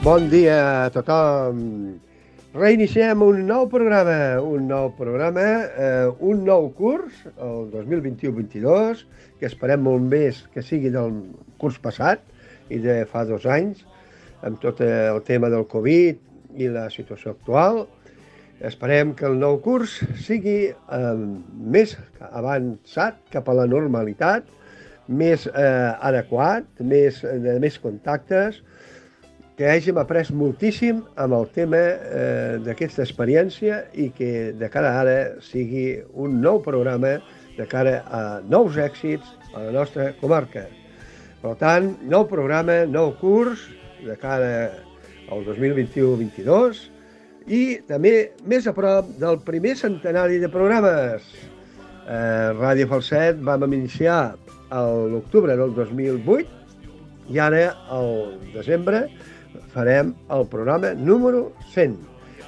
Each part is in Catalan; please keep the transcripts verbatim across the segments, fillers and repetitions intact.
Bon dia a tothom. Reiniciem un nou programa, un nou programa, eh, un nou curs, el dos mil vint-i-u vint-i-dos, que esperem molt més que sigui del curs passat i de fa dos anys, amb tot el tema del Covid i la situació actual. Esperem que el nou curs sigui eh, més avançat cap a la normalitat, més eh, adequat, més, de més contactes, que hàgim après moltíssim amb el tema eh, d'aquesta experiència i que de cara a ara sigui un nou programa de cara a nous èxits a la nostra comarca. Per tant, nou programa, nou curs de cara al dos mil vint-i-u vint-i-dos i també més a prop del primer centenari de programes. Eh, Ràdio Falset vam iniciar a l'octubre del dos mil vuit i ara, al desembre, farem el programa número cent.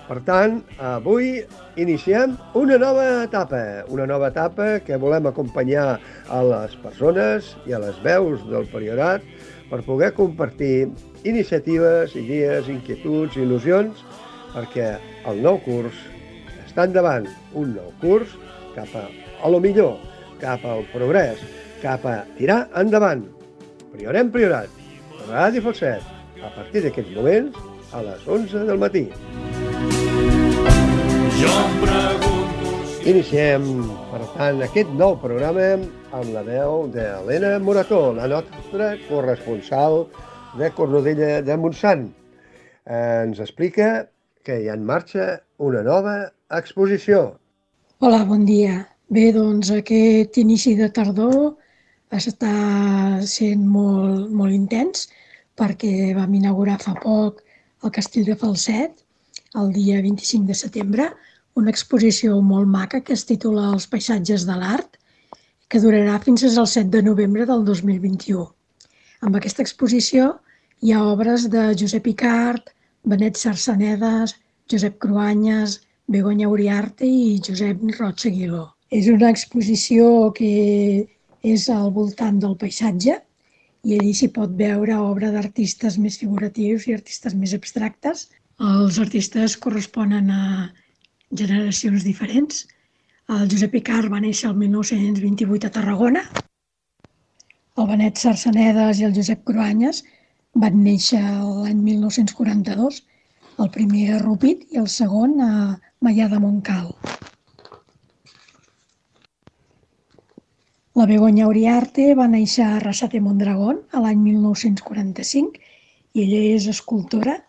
Per tant, avui iniciem una nova etapa, una nova etapa que volem acompanyar a les persones i a les veus del Priorat per poder compartir iniciatives, idees, inquietuds, il·lusions, perquè el nou curs està endavant, un nou curs cap a, a lo millor, cap al progrés, cap a tirar endavant. Priorem Priorat, Ràdio Falset, a partir d'aquests moments, a les onze del matí. Jo em pregunto si... Iniciem, per tant, aquest nou programa amb la veu d'Helena Morató, la nostra corresponsal de Cornudella de Montsant. Ens explica que hi ha en marxa una nova exposició. Hola, bon dia. Bé, doncs aquest inici de tardor està sent molt, molt intens, perquè vam inaugurar fa poc al Castell de Falset, el dia vint-i-cinc de setembre, una exposició molt maca que es titula Els paisatges de l'art, que durarà fins al set de novembre del dos mil vint-i-u. Amb aquesta exposició hi ha obres de Josep Icart, Benet Sarsanedas, Josep Cruanyes, Begoña Uriarte i Josep Roig Aguiló. És una exposició que és al voltant del paisatge, i allí s'hi pot veure obra d'artistes més figuratius i artistes més abstractes. Els artistes corresponen a generacions diferents. El Josep Icart va néixer el mil nou-cents vint-i-vuit a Tarragona. El Benet Sarsanedas i el Josep Cruanyes van néixer l'any mil nou-cents quaranta-dos, el primer a Rupit i el segon a Maià de Montcal. La Begoña Uriarte va néixer a Arrasate Mondragón a l'any mil nou-cents quaranta-cinc i ella és escultora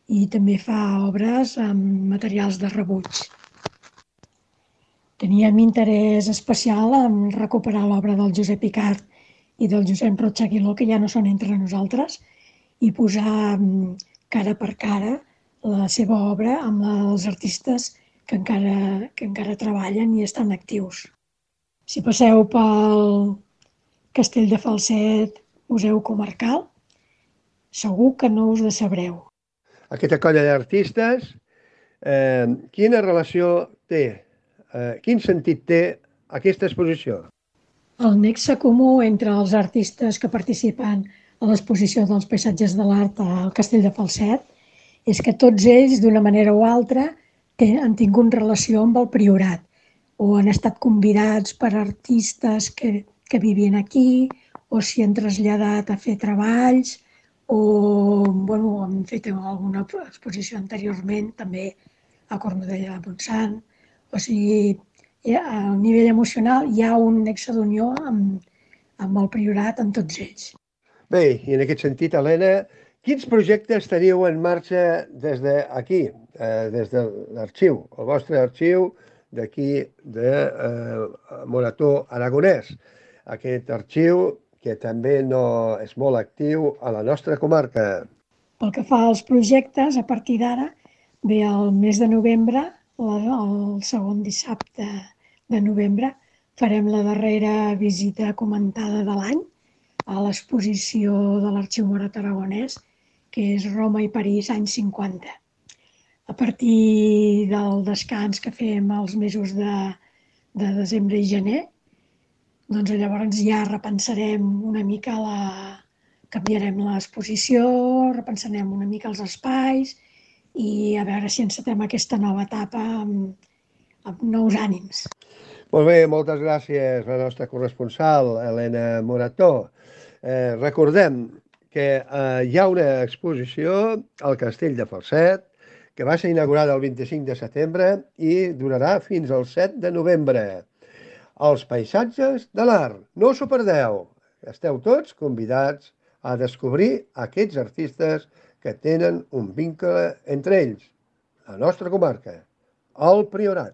i també fa obres amb materials de rebuig. Teníem interès especial en recuperar l'obra del Josep Icart i del Josep Roig Aguiló, que ja no són entre nosaltres, i posar cara per cara la seva obra amb els artistes que encara, que encara treballen i estan actius. Si passeu pel Castell de Falset, Museu Comarcal, segur que no us decebreu. Aquesta colla d'artistes, eh, quina relació té, eh, quin sentit té aquesta exposició? El nexe comú entre els artistes que participen a l'exposició dels paisatges de l'art al Castell de Falset és que tots ells, d'una manera o altra, han tingut relació amb el Priorat, o han estat convidats per artistes que, que vivien aquí, o s'hi han traslladat a fer treballs, o bueno, han fet alguna exposició anteriorment, també a Cornudella de Montsant. O sigui, a nivell emocional hi ha un nexe d'unió amb, amb el Priorat, amb tots ells. Bé, i en aquest sentit, Helena, quins projectes teniu en marxa des d'aquí, eh, des de l'arxiu, el vostre arxiu, d'aquí de eh, Morató Aragonès. Aquest arxiu que també no és molt actiu a la nostra comarca. Pel que fa als projectes, a partir d'ara, ve el mes de novembre, el segon dissabte de novembre, farem la darrera visita comentada de l'any a l'exposició de l'Arxiu Morató Aragonès, que és Roma i París, anys cinquanta. A partir del descans que fem els mesos de, de desembre i gener, doncs llavors ja repensarem una mica la, canviarem l'exposició, repensarem una mica els espais i a veure si encetem aquesta nova etapa amb, amb nous ànims. Molt bé, moltes gràcies a la nostra corresponsal, Helena Morató. Eh, recordem que eh, hi ha una exposició al Castell de Falset que va ser inaugurada el vint-i-cinc de setembre i durarà fins al set de novembre. Els paisatges de l'art. No us ho perdeu. Esteu tots convidats a descobrir aquests artistes que tenen un vincle entre ells, la nostra comarca, el Priorat.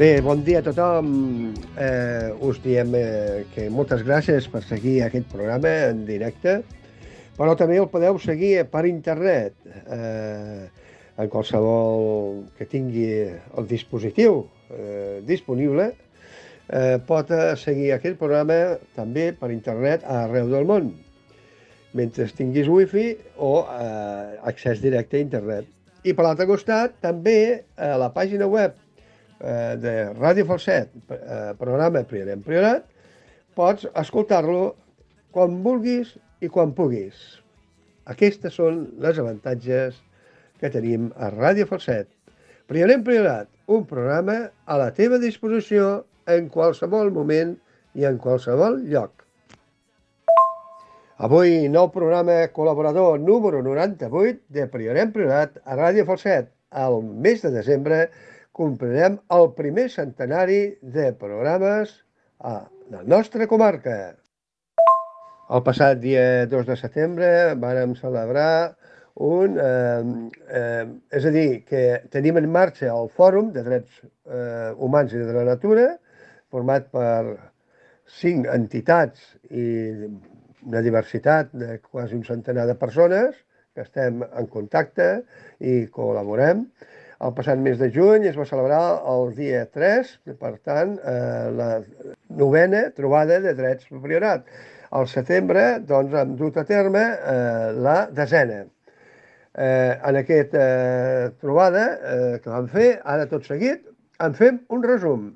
Bé, bon dia a tothom. Eh, us diem eh, que moltes gràcies per seguir aquest programa en directe, però també el podeu seguir per internet. Eh, en qualsevol que tingui el dispositiu eh, disponible, eh, pot seguir aquest programa també per internet arreu del món, mentre tinguis wifi o eh, accés directe a internet. I per l'altre costat, també a la pàgina web de Ràdio Falset, programa Priorat Priorat, pots escoltar-lo quan vulguis i quan puguis. Aquestes són les avantatges que tenim a Ràdio Falset. Priorat Priorat, un programa a la teva disposició en qualsevol moment i en qualsevol lloc. Avui, nou programa col·laborador número noranta-vuit de Priorat Priorat a Ràdio Falset. Al mes de desembre complirem el primer centenari de programes a la nostra comarca. El passat dia dos de setembre vàrem celebrar un... Eh, eh, és a dir, que tenim en marxa el Fòrum de Drets eh, Humans i de la Natura, format per cinc entitats i una diversitat de quasi un centenar de persones que estem en contacte i col·laborem. El passat mes de juny es va celebrar el dia tres, per tant, eh, la novena trobada de drets per Priorat. Al setembre, doncs, hem dut a terme eh, la desena. Eh, en aquesta eh, trobada eh, que vam fer, ara tot seguit, en fem un resum.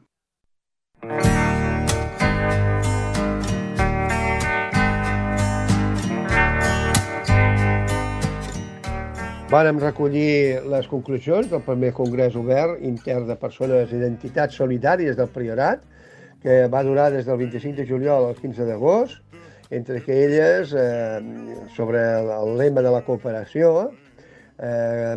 Vàrem recollir les conclusions del primer congrés obert intern de persones i d'entitats solidàries del Priorat, que va durar des del vint-i-cinc de juliol al quinze d'agost, entre elles, eh, sobre el lema de la cooperació, eh,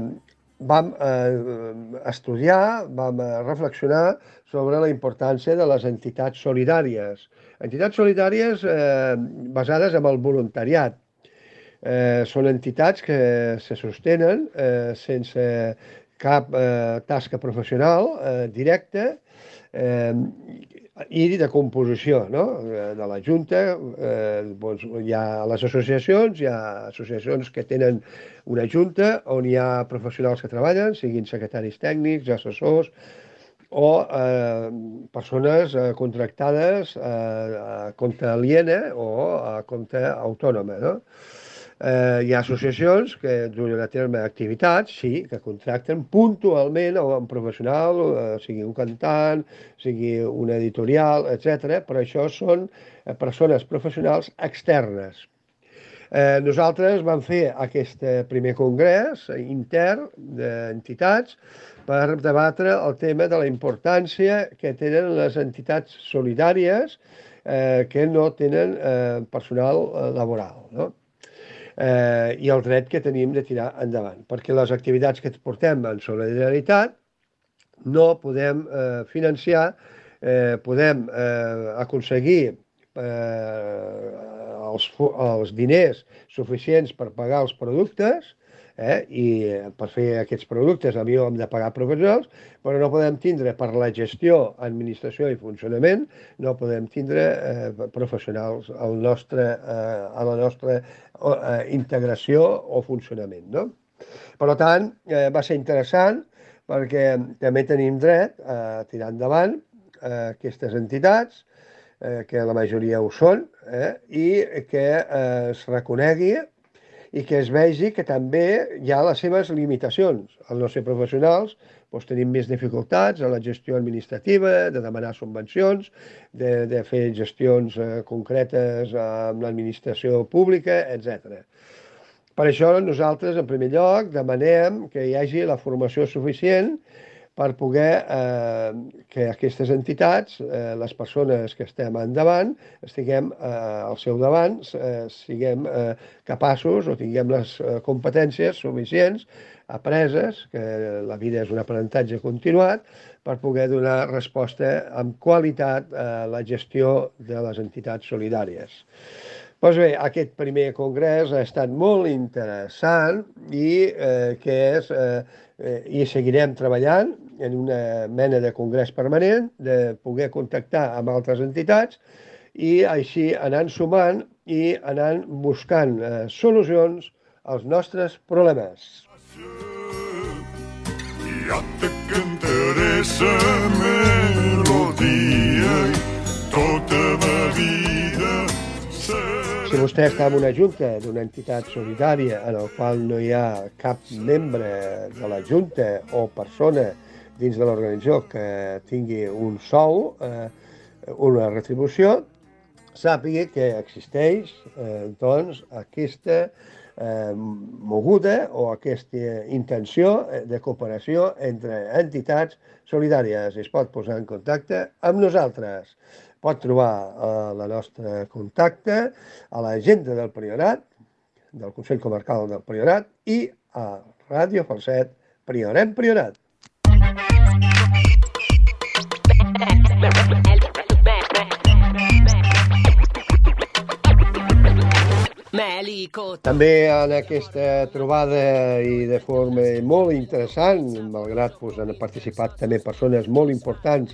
vam eh, estudiar, vam reflexionar sobre la importància de les entitats solidàries. Entitats solidàries eh, basades en el voluntariat. Eh, són entitats que se sostenen eh, sense cap eh, tasca professional eh, directa eh, i de composició, no? De la Junta. Eh, doncs hi ha les associacions, hi ha associacions que tenen una Junta on hi ha professionals que treballen, siguin secretaris tècnics, assessors o eh, persones eh, contractades eh, a compte aliena o a compte autònoma, no? Eh, hi ha associacions que duen a terme activitats, sí, que contracten puntualment a un professional, eh, sigui un cantant, sigui una editorial, etcètera, però això són eh, persones professionals externes. Eh, nosaltres vam fer aquest primer congrés intern d'entitats per debatre el tema de la importància que tenen les entitats solidàries eh, que no tenen eh, personal eh, laboral, no? Eh, i el dret que tenim de tirar endavant, perquè les activitats que portem en solidaritat no podem eh, financiar, eh, podem eh, aconseguir eh, els, els diners suficients per pagar els productes, eh, i per fer aquests productes a mi hem de pagar professionals, però no podem tindre per la gestió, administració i funcionament, no podem tindre eh, professionals al nostre, eh, a la nostra eh, integració o funcionament, no? Per tant, eh, va ser interessant perquè també tenim dret a tirar endavant eh, aquestes entitats eh, que la majoria ho són, eh, i que eh, es reconegui i que es vegi que també hi ha les seves limitacions. Els nostres professionals doncs, tenim més dificultats en la gestió administrativa, de demanar subvencions, de, de fer gestions eh, concretes amb l'administració pública, etcètera. Per això nosaltres, en primer lloc, demanem que hi hagi la formació suficient per poder eh, que aquestes entitats, eh, les persones que estem endavant, estiguem eh, al seu davant, eh, siguem eh, capaços o tinguem les eh, competències suficients, apreses, que la vida és un aprenentatge continuat, per poder donar resposta amb qualitat a la gestió de les entitats solidàries. Doncs bé, aquest primer congrés ha estat molt interessant i eh, que és, eh, eh, i seguirem treballant en una mena de congrés permanent, de poder contactar amb altres entitats i així anant sumant i anant buscant eh, solucions als nostres problemes. Ja te cantaré sa melodia tota ma vida. Si vostè està en una junta d'una entitat solidària en el qual no hi ha cap membre de la junta o persona dins de l'organització que tingui un sou, eh, una retribució, sàpiga que existeix eh, doncs, aquesta eh, moguda o aquesta intenció de cooperació entre entitats solidàries. Es pot posar en contacte amb nosaltres. Pot trobar eh, la nostra contacte a l'agenda del Priorat, del Consell Comarcal del Priorat i a Ràdio Falset Priorem Priorat. També en aquesta trobada i de forma molt interessant, malgrat pues, han participat també persones molt importants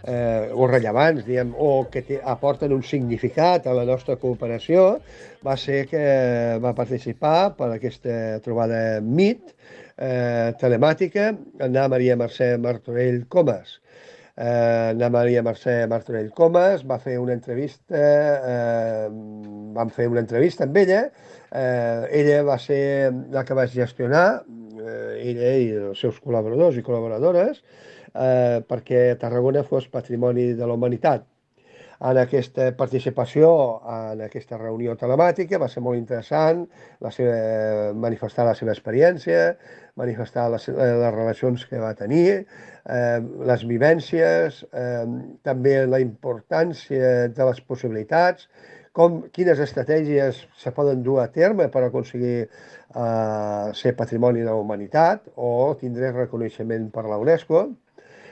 eh, o rellevants, diguem, o que te, aporten un significat a la nostra cooperació, va ser que va participar per aquesta trobada M I T eh, telemàtica Anna Maria Mercè Martorell Comas. Eh, Anna Maria Mercè Martorell Comas va fer una entrevista, eh, vam fer una entrevista amb ella, eh, ella va ser la que va gestionar, eh, ella i els seus col·laboradors i col·laboradores, eh, perquè Tarragona fos Patrimoni de la Humanitat. En aquesta participació, en aquesta reunió telemàtica, va ser molt interessant la seva, manifestar la seva experiència, manifestar les, les relacions que va tenir, eh, les vivències, eh, també la importància de les possibilitats, com, quines estratègies se poden dur a terme per aconseguir eh, ser Patrimoni de la Humanitat o tindre reconeixement per la UNESCO.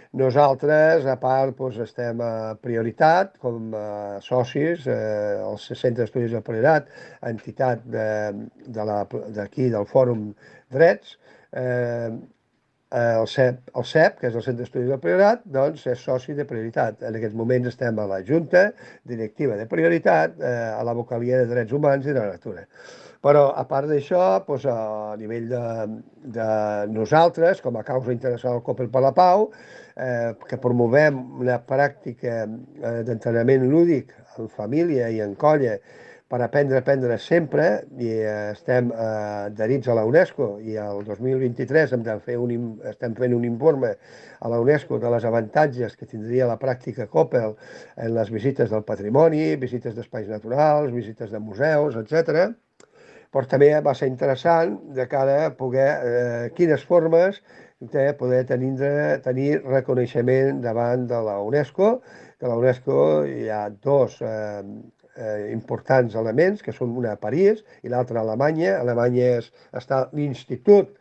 Nosaltres, a part, doncs, estem a Prioritat, com a socis, eh, el Centre d'Estudis del Priorat, entitat d'aquí, de, de del Fòrum Drets, eh, el C E P, el C E P, que és el Centre d'Estudis del Priorat, doncs és soci de Prioritat. En aquests moments estem a la Junta Directiva de Prioritat, eh, a la Vocalia de Drets Humans i de la Natura. Però, a part d'això, doncs, a nivell de, de nosaltres, com a causa internacional Coppel per la Pau, eh, que promovem una pràctica eh, d'entrenament lúdic en família i en colla per aprendre a aprendre sempre, i eh, estem eh, adherits a la UNESCO, i el dos mil vint-i-tres hem de fer un, estem fent un informe a la UNESCO de les avantatges que tindria la pràctica Coppel en les visites del patrimoni, visites d'espais naturals, visites de museus, etcètera. Però també va ser interessant de cara a poder, eh, quines formes de poder tenir, tenir reconeixement davant de la UNESCO, que la UNESCO hi ha dos eh, eh, importants elements, que són una a París i l'altra a Alemanya. A Alemanya és, està l'Institut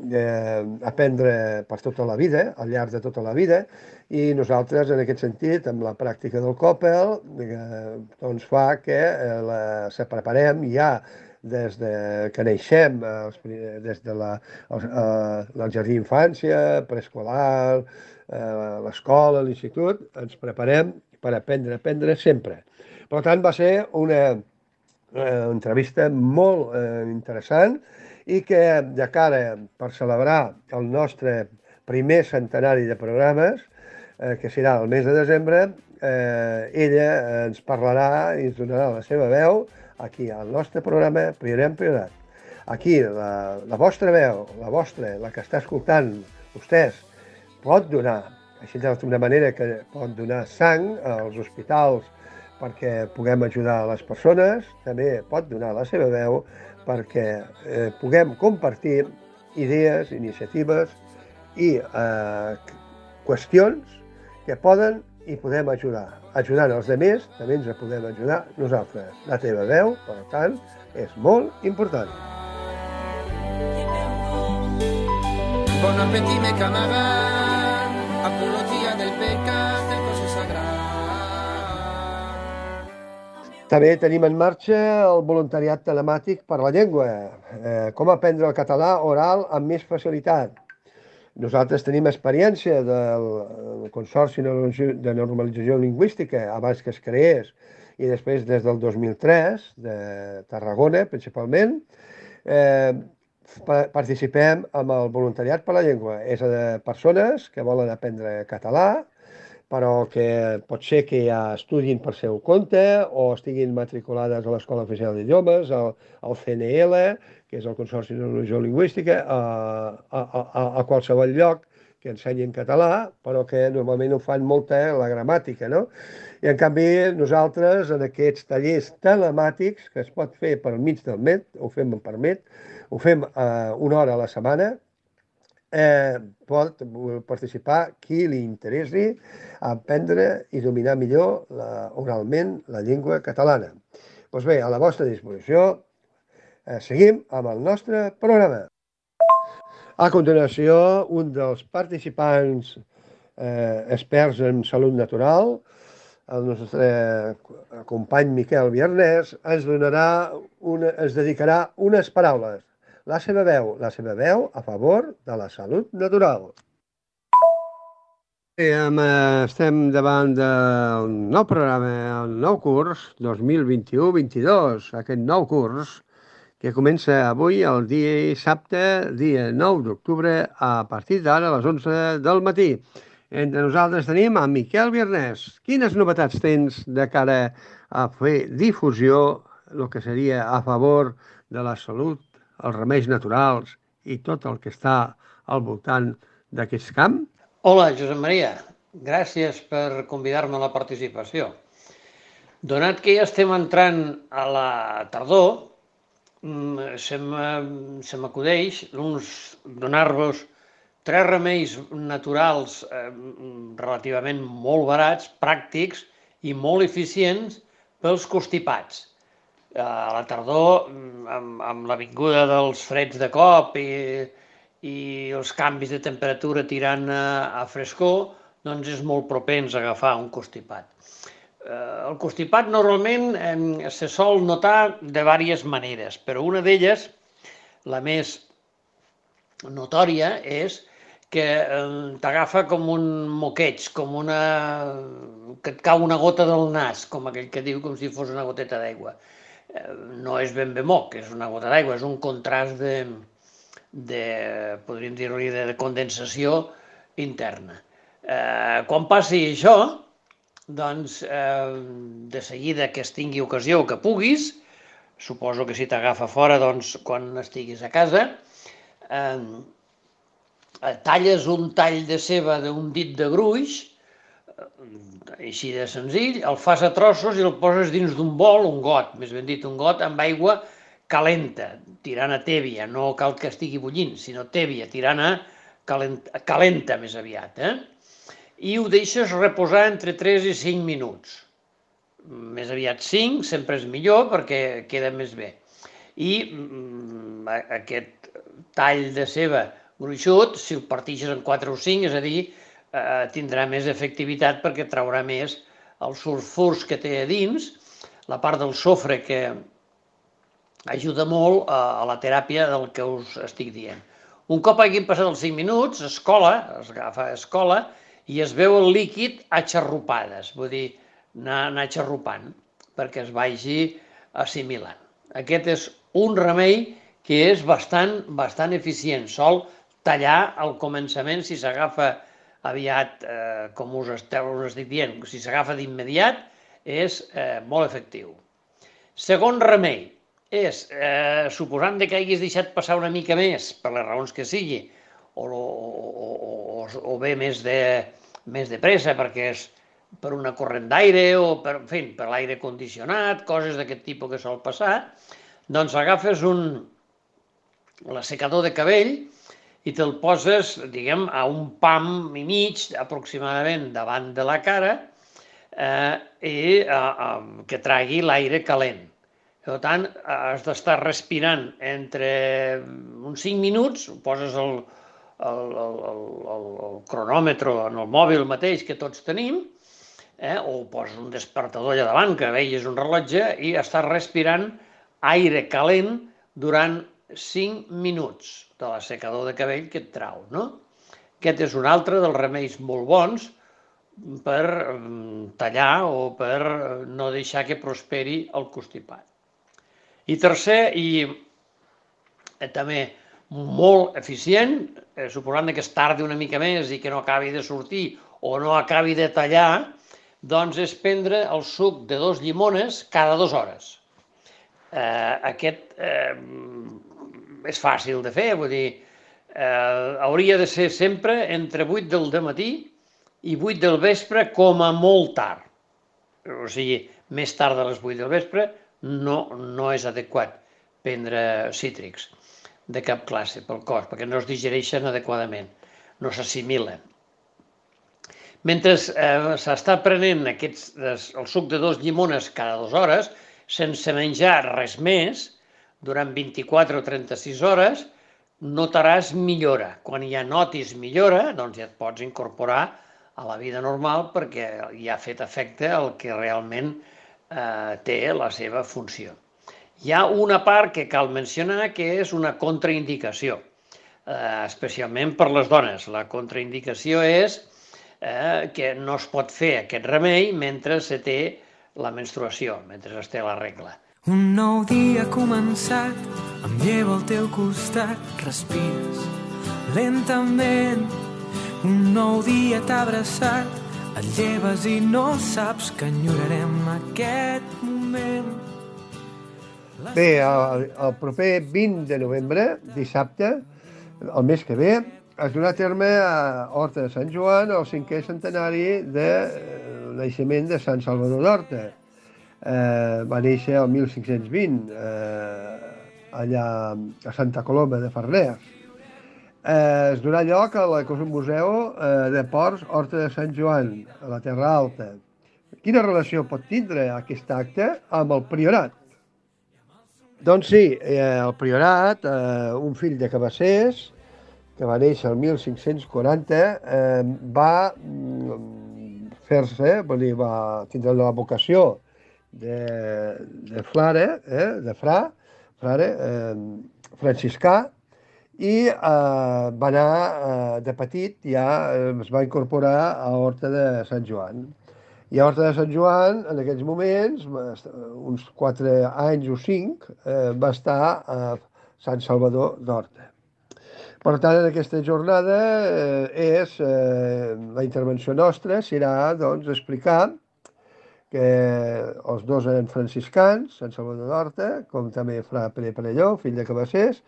d'aprendre per tota la vida, al llarg de tota la vida, i nosaltres, en aquest sentit, amb la pràctica del Coppel, eh, doncs fa que eh, la, se preparem ja des de que neixem, eh, des de la, el, el jardí d'infància, preescolar, eh, l'escola, l'institut, ens preparem per aprendre, aprendre sempre. Per tant, va ser una eh, entrevista molt eh, interessant, i que de cara per celebrar el nostre primer centenari de programes eh, que serà el mes de desembre, eh, ella ens parlarà i ens donarà la seva veu aquí al nostre programa Priorem Priorat. Aquí, la, la vostra veu, la vostra, la que està escoltant vostès, pot donar, així d'una manera que pot donar sang als hospitals perquè puguem ajudar les persones, també pot donar la seva veu perquè eh, puguem compartir idees, iniciatives i eh, qüestions que poden i podem ajudar. Ajudant els altres, també ens podem ajudar nosaltres. La teva veu, per tant, és molt important. Bon appétit, mes camarades, apologia del pecat, del cos sagrat. També tenim en marxa el voluntariat telemàtic per la llengua. Eh, com aprendre el català oral amb més facilitat. Nosaltres tenim experiència del Consorci de Normalització Lingüística abans que es creés i després des del dos mil tres, de Tarragona principalment, eh, participem amb el voluntariat per la llengua. És de persones que volen aprendre català, però que pot ser que ja estudin per seu compte o estiguin matriculades a l'Escola Oficial d'Idiomes, al, al C N L, que és el Consorci de Normalització Lingüística, a, a, a, a qualsevol lloc que ensenyin català, però que normalment ho fan molta la gramàtica, no? I en canvi nosaltres en aquests tallers telemàtics que es pot fer per mig del Met, ho fem per Met, ho fem eh, una hora a la setmana, eh, pot participar qui li interessi a aprendre i dominar millor la, oralment la llengua catalana. Doncs bé, a la vostra disposició, eh, seguim amb el nostre programa. A continuació, un dels participants eh, experts en salut natural, el nostre company Miquel Viernès, ens donarà una, ens dedicarà unes paraules. La seva veu, la seva veu a favor de la salut natural. Sí, estem davant del nou programa, el nou curs dos mil vint-i-u vint-i-dos, aquest nou curs que comença avui, el dia dissabte, dia nou d'octubre, a partir d'ara a les onze del matí. Entre nosaltres tenim a Miquel Viernès. Quines novetats tens de cara a fer difusió, el que seria a favor de la salut, els remeis naturals i tot el que està al voltant d'aquest camp? Hola, Josep Maria. Gràcies per convidar-me a la participació. Donat que ja estem entrant a la tardor, se m'acudeix donar-vos tres remeis naturals eh, relativament molt barats, pràctics i molt eficients pels constipats. A la tardor, amb, amb la vinguda dels freds de cop i, i els canvis de temperatura tirant a, a frescor, doncs és molt propens a agafar un constipat. Eh, el constipat normalment eh, se sol notar de diverses maneres, però una d'elles, la més notòria, és que t'agafa com un moqueig, com una... que et cau una gota del nas, com aquell que diu com si fos una goteta d'aigua. No és ben bé moc, és una gota d'aigua, és un contrast de, de podríem dir-li, de condensació interna. Eh, quan passi això, doncs, eh, de seguida que es tingui ocasió que puguis, suposo que si t'agafa fora, doncs, quan estiguis a casa, eh, talles un tall de ceba d'un dit de gruix, així de senzill, el fas a trossos i el poses dins d'un bol, un got, més ben dit, un got amb aigua calenta, tirant a tèbia, no cal que estigui bullint, sinó tèbia, tirant a calenta, calenta més aviat, eh? I ho deixes reposar entre tres i cinc minuts. Més aviat cinc, sempre és millor perquè queda més bé. I mm, aquest tall de ceba gruixut, si el partixes en quatre o cinc, és a dir, eh, tindrà més efectivitat perquè traurà més els sulfurs que té a dins, la part del sofre que ajuda molt a, a la teràpia del que us estic dient. Un cop hagin passat els cinc minuts, es cola, es agafa, es cola, i es veu el líquid a xarrupades, vull dir, anar, anar xarrupant, perquè es vagi assimilant. Aquest és un remei que és bastant, bastant eficient. Sol tallar al començament, si s'agafa aviat, eh, com us esteu us estic dient, si s'agafa d'immediat, és eh, molt efectiu. Segon remei és, eh, suposant que hagis deixat passar una mica més, per les raons que sigui, o, o, o, o bé més de, més de pressa, perquè és per una corrent d'aire o per, en fi, per l'aire condicionat, coses d'aquest tipus que sol passar, doncs agafes un l'assecador de cabell i te'l poses, diguem, a un pam i mig, aproximadament, davant de la cara, eh, i eh, eh, que tragui l'aire calent. Per tant, has d'estar respirant entre uns cinc minuts, poses el, el, el, el, el cronòmetre en el mòbil mateix que tots tenim, eh, o poses un despertador allà davant, que vegis un rellotge, i estàs respirant aire calent durant cinc minuts de l'assecador de cabell que et trau, no? Aquest és un altre dels remeis molt bons per tallar o per no deixar que prosperi el constipat. I tercer, i també molt eficient, suposant que es tardi una mica més i que no acabi de sortir o no acabi de tallar, doncs és prendre el suc de dos llimones cada dues hores. Eh, aquest eh, és fàcil de fer, vull dir, eh, hauria de ser sempre entre vuit del dematí i vuit del vespre com a molt tard. O sigui, més tard de les vuit del vespre no, no és adequat prendre cítrics de cap classe pel cos, perquè no es digereixen adequadament, no s'assimilen. Mentre eh, s'està prenent aquests, el suc de dos llimones cada dues hores, sense menjar res més, durant vint-i-quatre o trenta-sis hores, notaràs millora. Quan ja notis millora, doncs ja et pots incorporar a la vida normal perquè ja ha fet efecte el que realment eh, té la seva funció. Hi ha una part que cal mencionar que és una contraindicació, eh, especialment per les dones. La contraindicació és eh, que no es pot fer aquest remei mentre se té la menstruació, mentre es té la regla. Un nou dia ha començat, em llevo al teu costat, respires lentament. Un nou dia t'ha abraçat, et lleves i no saps que enyorarem aquest moment. Bé, el, el proper vint de novembre, dissabte, el mes que ve, es donarà a terme a Horta de Sant Joan el cinquè centenari del naixement de Sant Salvador d'Horta. Eh, va néixer el mil cinc-cents vint, eh, allà a Santa Coloma de Farners. Eh, es donarà lloc a un museu eh, de ports Horta de Sant Joan, a la Terra Alta. Quina relació pot tindre aquest acte amb el priorat? Doncs sí, eh, el priorat, eh, un fill de Cabassers, que va néixer el mil cinc-cents quaranta, eh, va fer-se, va tindre la vocació de, de frare, eh, de fra, frare, eh, franciscà, i eh, va anar, eh, de petit, ja eh, es va incorporar a Horta de Sant Joan. I a Horta de Sant Joan, en aquells moments, uns quatre anys o cinc, eh, va estar a Sant Salvador d'Horta. Per tant, en aquesta jornada, eh, és, eh, la intervenció nostra serà, doncs, explicar que els dos eren franciscans, Sant Salvador d'Horta, com també fra Pere Perelló, fill de Cabassers,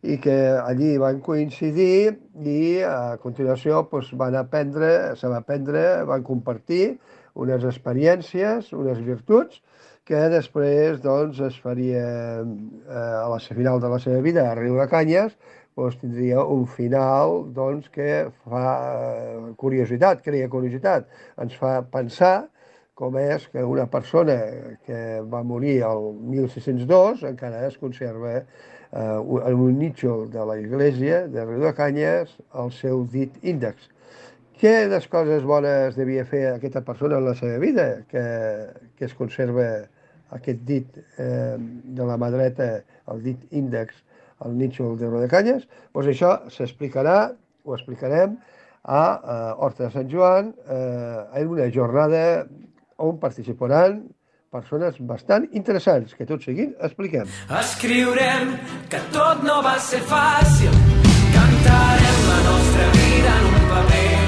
i que allí van coincidir i a continuació doncs, van aprendre, se va aprendre, van compartir unes experiències, unes virtuts, que després doncs, es faria eh, a la final de la seva vida a Riu de Canyes, doncs, tindria un final doncs, que fa curiositat, crea curiositat, ens fa pensar com és que una persona que va morir el mil sis-cents dos encara es conserva eh, en un nítxol de la església de Riu de Canyes el seu dit índex. Què de coses bones devia fer aquesta persona en la seva vida que, que es conserva aquest dit eh, de la mà dreta, el dit índex, al nítxol de Riu de Canyes? Doncs això s'explicarà, ho explicarem a, a Horta de Sant Joan eh, en una jornada on participaran persones bastant interessants, que tot seguint expliquem. Escriurem que tot no va ser fàcil, cantarem la nostra vida en un paper,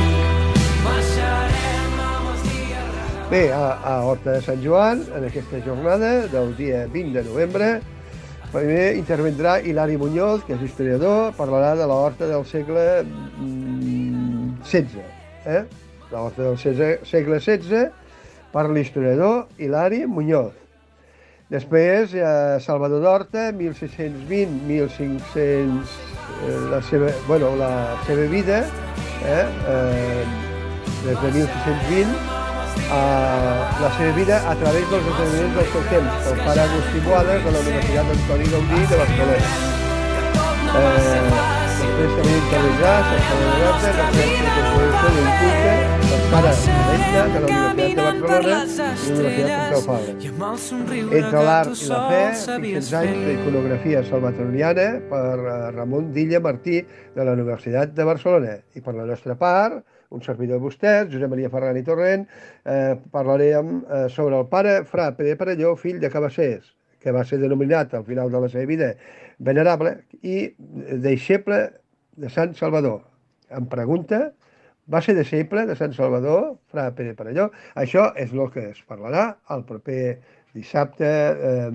Bé, a, a Horta de Sant Joan, en aquesta jornada del dia vint de novembre, primer intervindrà Hilari Muñoz, que és historiador, parlarà de la horta del segle setze. Eh? La horta del segle setze per l'historiador Hilari Muñoz. Després, eh, Salvador d'Horta, mil sis-cents vint a mil cinc-cents, eh, la, seva, bueno, la seva vida, eh, eh, des de mil sis-cents vint, eh, la seva vida a través dels esdeveniments del seu temps, el pare Agustí Boades de la Universitat Antoni Gaudí de Barcelona. Eh, després també intervindrà Salvador d'Horta, la referència de construcció d'un culte, el pare Alenta de la Universitat de Barcelona i la Universitat Pompeu Fabra. Entre l'art i la fe, cinc-cents anys d'iconografia salvatoriana per Ramon Dilla Martí de la Universitat de Barcelona. I per la nostra part, un servidor de vostès, Josep Maria Ferran i Torrent, eh, parlarem eh, sobre el pare Fra Pere Parelló, fill de Cabassers, que va ser denominat al final de la seva vida venerable i deixeble de Sant Salvador. Em pregunta, va ser deixeble de Sant Salvador, Fra Pere Parelló? Això és el que es parlarà el proper dissabte, eh,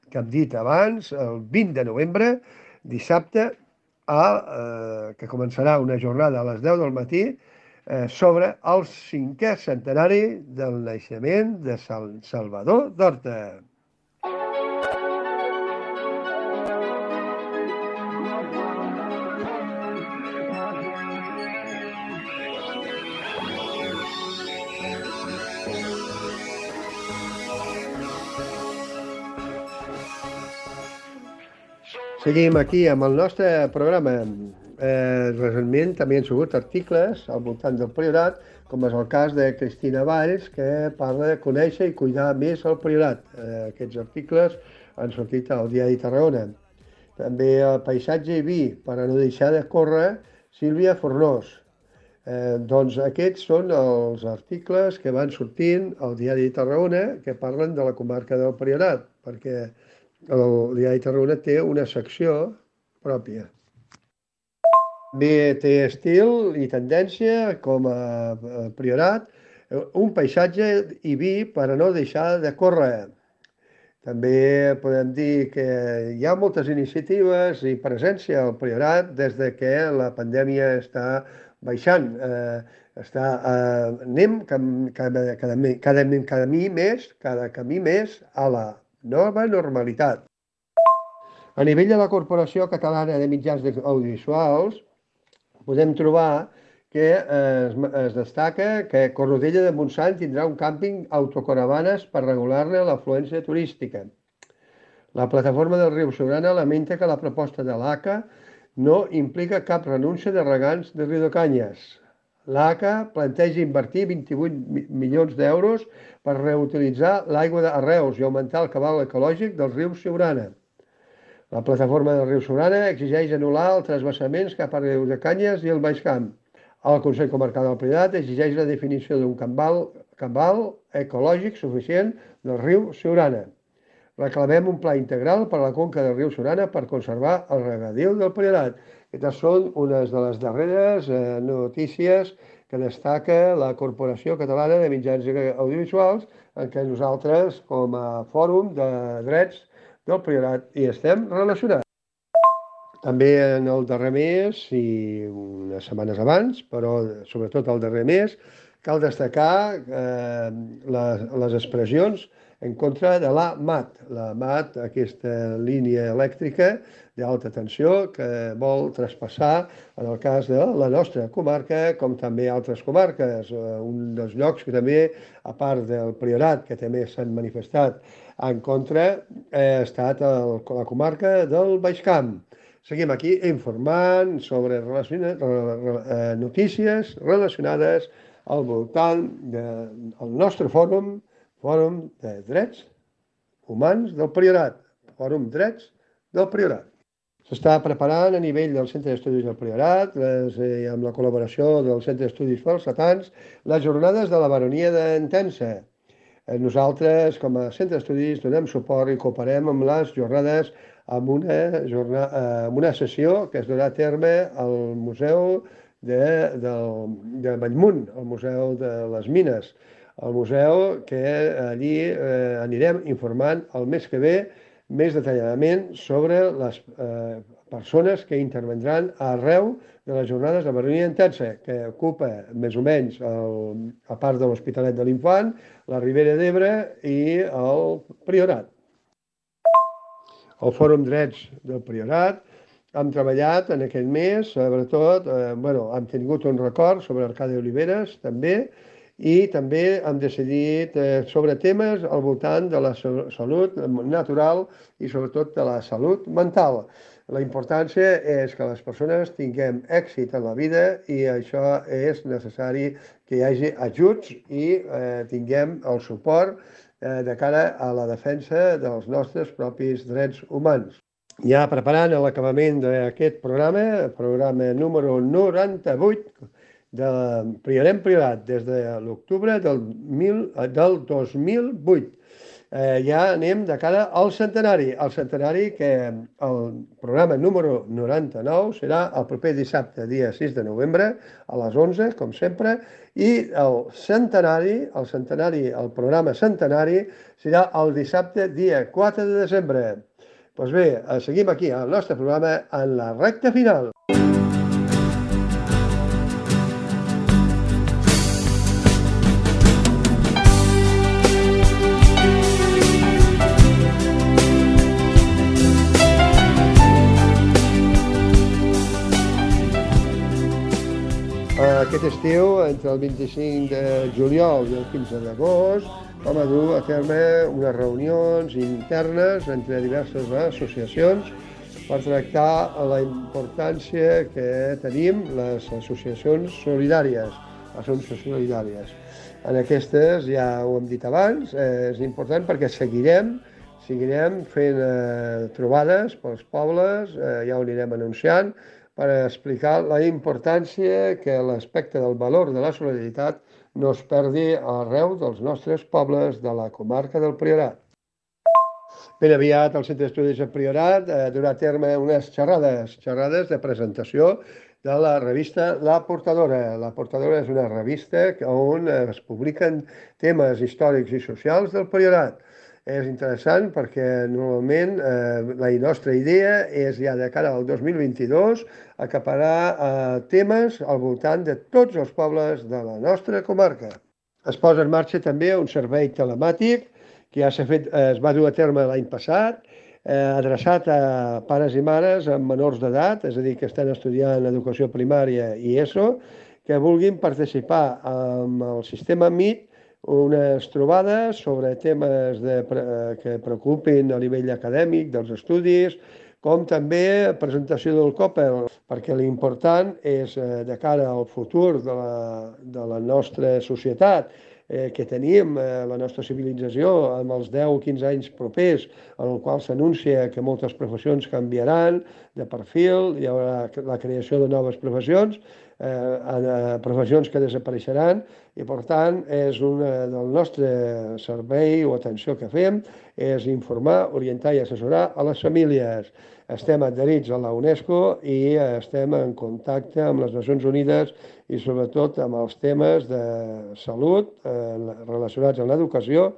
que hem dit abans, el vint de novembre, dissabte, a, eh, que començarà una jornada a les deu del matí, eh, sobre el cinquè centenari del naixement de Sant Salvador d'Horta. Seguim aquí amb el nostre programa. Eh, recentment també han sigut articles al voltant del Priorat, com és el cas de Cristina Valls, que parla de conèixer i cuidar més el Priorat. Eh, aquests articles han sortit al Diari Tarragona. També el paisatge i vi, per a no deixar de córrer, Sílvia Fornós. Eh, doncs aquests són els articles que van sortint al Diari Tarragona que parlen de la comarca del Priorat, perquè el Diari Tarragona té una secció pròpia. Bé, té estil i tendència, com a Priorat, un paisatge i vi per a no deixar de córrer. També podem dir que hi ha moltes iniciatives i presència al Priorat des de que la pandèmia està baixant. Eh, està, eh, anem cada, cada, cada, cada, més, cada camí més a la nova normalitat. A nivell de la Corporació Catalana de Mitjans Audiovisuals podem trobar que es, es destaca que Cornudella de Montsant tindrà un càmping autocaravanes per regular-ne l'afluència turística. La plataforma del Riu Siurana lamenta que la proposta de l'A C A no implica cap renúncia de regants de Riudecanyes. L'A C A planteja invertir vint-i-vuit milions d'euros per reutilitzar l'aigua de Reus i augmentar el cabal ecològic del riu Siurana. La plataforma del riu Siurana exigeix anul·lar els transvasaments cap a Riudecanyes i el Baix Camp. El Consell Comarcal del Priorat exigeix la definició d'un cabal, cabal ecològic suficient del riu Siurana. Reclamem un pla integral per a la conca del riu Siurana per conservar el regadiu del Priorat. Aquestes són unes de les darreres eh, notícies que destaca la Corporació Catalana de Mitjans Audiovisuals, en què nosaltres, com a Fòrum de Drets del Priorat, hi estem relacionats. També en el darrer mes i unes setmanes abans, però sobretot el darrer mes, cal destacar eh, les, les expressions en contra de la M A T. La M A T, aquesta línia elèctrica d'alta tensió que vol traspassar, en el cas de la nostra comarca, com també altres comarques. Un dels llocs que també, a part del Priorat, que també s'han manifestat en contra, ha estat el, la comarca del Baix Camp. Seguim aquí informant sobre notícies relacionades al voltant del nostre fòrum, Fòrum de Drets Humans del Priorat, Fòrum Drets del Priorat. S'està preparant a nivell del Centre d'Estudis del Priorat, les, eh, amb la col·laboració del Centre d'Estudis Falsetans, les jornades de la baronia d'Entença. Nosaltres, com a Centre d'Estudis, donem suport i cooperem amb les jornades amb una, jornada, amb una sessió que es donarà a terme al Museu de, de, de Bellmunt, al Museu de les Mines, al museu, que allí eh, anirem informant el mes que ve més detalladament sobre les eh, persones que intervendran arreu de les jornades de baronia intensa, que ocupa més o menys el, a part de l'Hospitalet de l'Infant, la Ribera d'Ebre i el Priorat. El Fòrum Drets del Priorat. Hem treballat en aquest mes, sobretot, eh, bueno, hem tingut un record sobre Arcadi Oliveres, també, i també hem decidit eh, sobre temes al voltant de la salut natural i sobretot de la salut mental. La importància és que les persones tinguem èxit en la vida i això és necessari que hi hagi ajuts i eh, tinguem el suport eh, de cara a la defensa dels nostres propis drets humans. Ja preparant l'acabament d'aquest programa, programa número noranta-vuit, del Priorem Priorat, des de l'octubre del, del dos mil vuit. Eh, ja anem de cara al centenari. El centenari que el programa número noranta-nou serà el proper dissabte, dia sis de novembre, a les onze, com sempre, i el centenari, el centenari, el programa centenari, serà el dissabte, dia quatre de desembre. Doncs bé, seguim aquí al nostre programa en la recta final. Aquest estiu, entre el vint-i-cinc de juliol i el quinze d'agost, vam a dur a terme unes reunions internes entre diverses associacions per tractar la importància que tenim les associacions solidàries, associacions solidàries. En aquestes, ja ho hem dit abans, és important perquè seguirem, seguirem fent eh, trobades pels pobles, eh, ja ho anirem anunciant, per explicar la importància que l'aspecte del valor de la solidaritat no es perdi arreu dels nostres pobles de la comarca del Priorat. Ben aviat el Centre d'Estudis del Priorat eh, durà a terme unes xerrades, xerrades de presentació de la revista La Portadora. La Portadora és una revista on es publiquen temes històrics i socials del Priorat. És interessant perquè normalment eh, la nostra idea és ja de cara al dos mil vint-i-dos acaparar eh, temes al voltant de tots els pobles de la nostra comarca. Es posa en marxa també un servei telemàtic que ja s'ha fet, eh, es va dur a terme l'any passat, eh, adreçat a pares i mares amb menors d'edat, és a dir, que estan estudiant educació primària i ESO, que vulguin participar amb el sistema M I T unes trobades sobre temes de, que preocupin a nivell acadèmic dels estudis, com també presentació del COPEL, perquè l'important és, de cara al futur de la, de la nostra societat, eh, que tenim, eh, la nostra civilització, amb els deu o quinze anys propers, en el qual s'anuncia que moltes professions canviaran de perfil, hi haurà la creació de noves professions, eh, professions que desapareixeran, i per tant és una del nostre servei o atenció que fem, és informar, orientar i assessorar a les famílies. Estem adherits a la UNESCO i estem en contacte amb les Nacions Unides i sobretot amb els temes de salut eh, relacionats amb l'educació,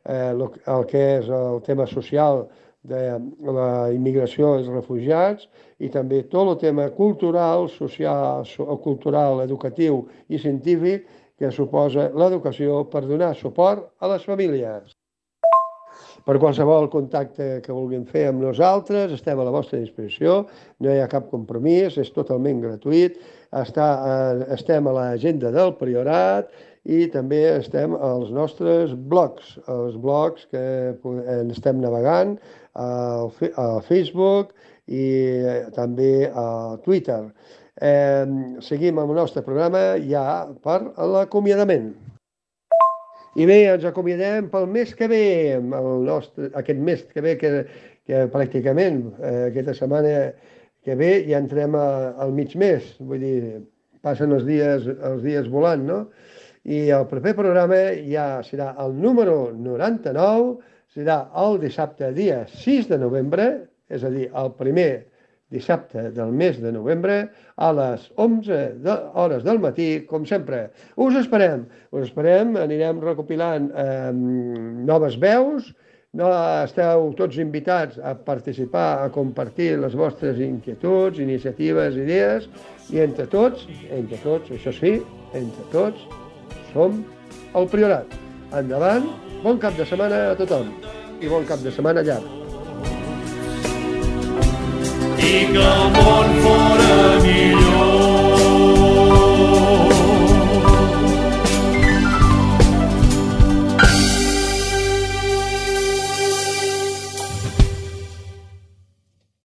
eh, el que és el tema social de la immigració i els refugiats i també tot el tema cultural, social, cultural, educatiu i científic que suposa l'educació per donar suport a les famílies. Per qualsevol contacte que vulguin fer amb nosaltres, estem a la vostra disposició, no hi ha cap compromís, és totalment gratuït, està, estem a l'agenda del Priorat i també estem als nostres blogs, els blogs que estem navegant a Facebook i també a Twitter. Eh, seguim amb el nostre programa ja per l'acomiadament. I bé, ens acomiadem pel mes que ve, el nostre, aquest mes que ve, que, que pràcticament eh, aquesta setmana que ve ja entrem a, al mig mes, vull dir, passen els dies, els dies volant, no? I el proper programa ja serà el número noranta-nou, serà el dissabte dia sis de novembre, és a dir, el primer dissabte del mes de novembre, a les onze hores del matí, com sempre. Us esperem, us esperem, anirem recopilant eh, noves veus, no, esteu tots invitats a participar, a compartir les vostres inquietuds, iniciatives, idees, i entre tots, entre tots, això sí, entre tots, som el Priorat. Endavant, bon cap de setmana a tothom i bon cap de setmana llarg. I que el món fora millor.